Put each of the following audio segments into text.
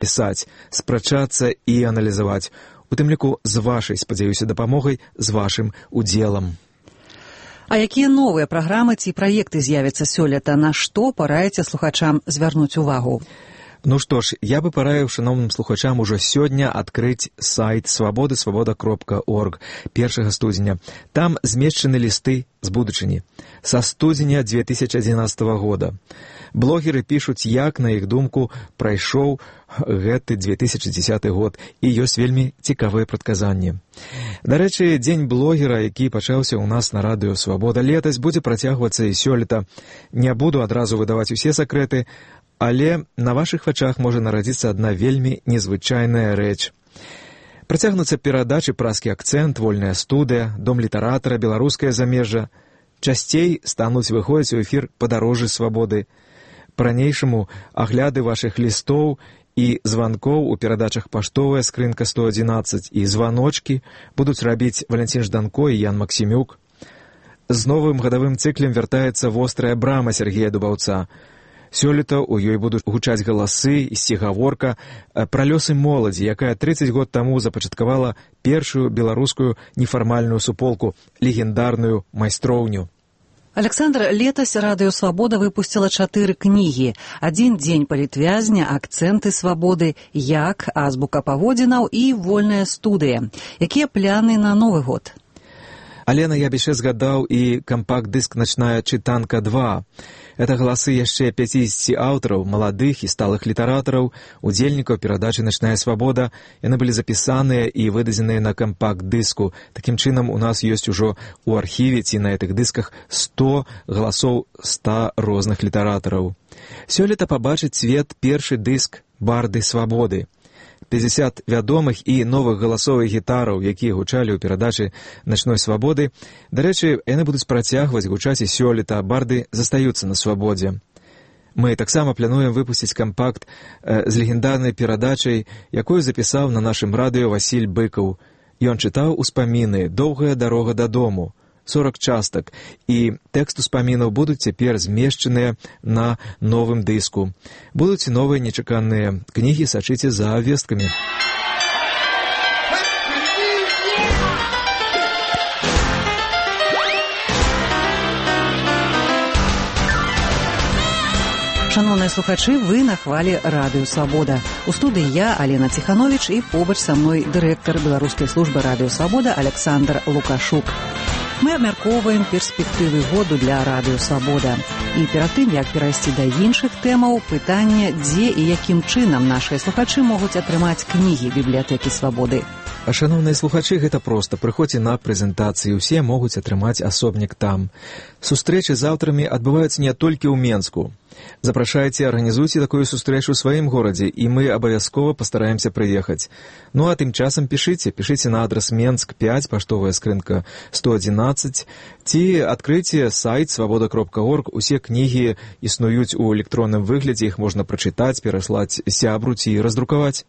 пісаць, спрачацца і аналізаваць, у тым ліку з вашай, спадзяюся, дапамогай, з вашым удзелам. А якія новыя праграмы ці праекты з'явяцца сёлета, на што параіце слухачам звярнуць увагу? Ну што ж, я бы параіў шановным слухачам ужо сёння адкрыць сайт свабоды, свабода.орг 1 студзеня. Там змешчаны лісты з будучыні. Са студзеня 2011 года. Блогеры пішуць, як, на іх думку, прайшоў гэты 2010 год, і ёсць вельмі цікавыя прадказанні. Дарэчы, дзень блогера, які пачаўся ў нас на радыё «Свабода» летась, будзе працягвацца і сёлета. Не буду адразу выдаваць усе сакрэты, але на вашых вачах можа нарадзіцца адна вельмі незвычайная рэч. Працягнуцца перадачы «Празкі акцэнт», «Вольная студыя», «Дом літаратара», «Беларускае замежжа». Часцей стануць выходзіць у эфір «Падарожжы свабоды». Па-ранейшаму агляды вашых лістоў і званкоў у перадачах «Паштовая скрынка 111» і «Званочкі» будуць рабіць Валянцін Жданко і Ян Максімюк. З новым гадавым цыклем вяртаецца «Вострая брама» Сергея Дубаўца. Сёлета ў ёй будуць гучаць галасы і сцігаворка пра лёсы моладзі, якая 30 год таму запачаткавала першую беларускую нефармальную суполку, легендарную майстроўню. Александр, летась радыё «Свабода» выпусціла 4 кнігі. «Адзін дзень палітвязня», «Акцэнты свабоды», «Як», «Азбука паводзінаў» і «Вольная студыя». Якія пляны на Новы год? Алена, я б яшчэ згадаў і кампакт-дыск «Начная чытанка 2». Это галасы яшчэ 50 аўтараў, маладых і сталых літаратараў, удзельнікаў перадачы «Начная свабода». Яны былі запісаныя і выдадзеныя на кампакт-дыску. Такім чынам, у нас ёсць ужо ў архіве ці на гэтых дысках 100 галасоў 100 розных літаратараў. Сёлета пабачыць свет першы дыск «Барды свабоды». 50 вядомых і новых галасовых гітараў, якія гучалі ў перадачы «Начной свабоды». Дарэчы, яны будуць працягваць гучаць і сёлета, барды застаюцца на свабодзе. Мы таксама плануем выпусціць кампакт з легендарнай перадачай, якую запісаў на нашым радыё Васіль Быкаў. Ён чытаў успаміны «Доўгая дарога дадому», 40 частак, і тэкст успамінаў будуць цяпер змешчаныя на новым дыску. Будуць і новыя нечаканыя кнігі, сачыце за весткамі. Шановныя слухачы, вы на хвалі радыё «Свабода». У студыі я, Алена Ціхановіч, і побач са мной дырэктар беларускай службы радыё «Свабода» Александр Лукашук. Мы абмяркоўваем перспектывы году для радыё «Свабода». І перад тым, як перайсці да іншых тэмаў, пытанне, дзе і якім чынам нашыя слухачы могуць атрымаць кнігі бібліятэкі «Свабоды». А шановныя слухачы, гэта проста. Прыходзьце на прэзентацыі, усе могуць атрымаць асобнік там. Сустрэчы з аўтарамі адбываюцца не толькі ў Менску. Запрашайце, арганізуйце такую сустрэчу ў сваім горадзе, і мы абавязкова пастараемся прыехаць. Ну а тым часам пішыце на адрас Менск 5, паштовая скрынка 111, ці адкрыйце сайт свабода.орг. Усе кнігі існуюць у электронным выглядзе, іх можна прачытаць, пераслаць сябру ці раздрукаваць.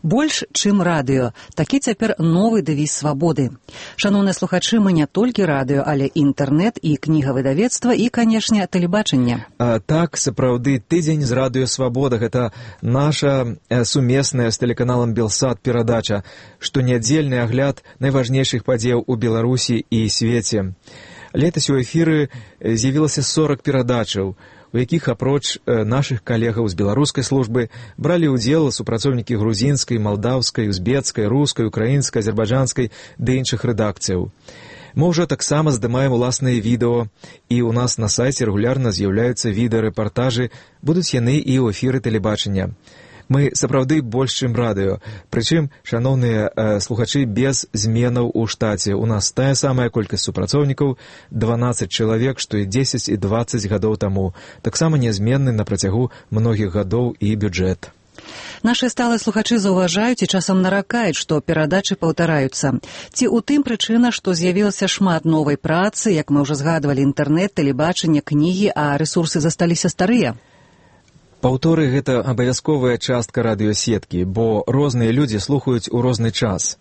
Больш, чым радыё. Такі цяпер новы дэвіз «Свабоды». Шановныя слухачы, мы не толькі радыё, але інтэрнэт і кнігавыдавецтва і, канешне, тэлебачанне. Так, сапраўды, тыдзень з радыё «Свабода» — гэта наша сумесная з тэлеканалам «Белсат» перадача, штонядзельны агляд найважнейшых падзеяў у Беларусі і свеце. Летась у эфіры з'явілася 40 перадачаў, у якіх апроч нашых калегаў з беларускай службы бралі ўдзел супрацоўнікі грузінскай, малдаўскай, узбецкай, рускай, украінскай, азербайджанскай ды іншых рэдакцыяў. Мы ўжо таксама здымаем уласныя відэо, і ў нас на сайце рэгулярна з'яўляюцца відэарэпартажы, будуць яны і ў эфіры тэлебачання. Мы сапраўды больш, чым радыё. Прычым, шановныя слухачы, без зменаў у штаце. У нас тая самая колькасць супрацоўнікаў, 12 чалавек, што і 10 і 20 гадоў таму. Таксама нязменны на працягу многіх гадоў і бюджэт. Нашы сталыя слухачы заўважаюць і часам наракаюць, што перадачы паўтараюцца. Ці ў тым прычына, што з'явілася шмат новай працы, як мы ўжо згадвалі, інтэрнэт, тэлебачанне, кнігі, а рэсурсы засталіся старыя? Паўторы — гэта абавязковая частка радыёсеткі, бо розныя людзі слухаюць у розны час.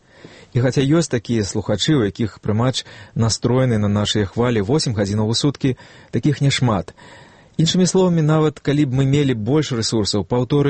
І хаця ёсць такія слухачы, у якіх прымач настроены на нашыя хвалі 8 гадзінаў у суткі, такіх няшмат. Іншымі словамі, нават калі б мы мелі больш рэсурсаў, паўторы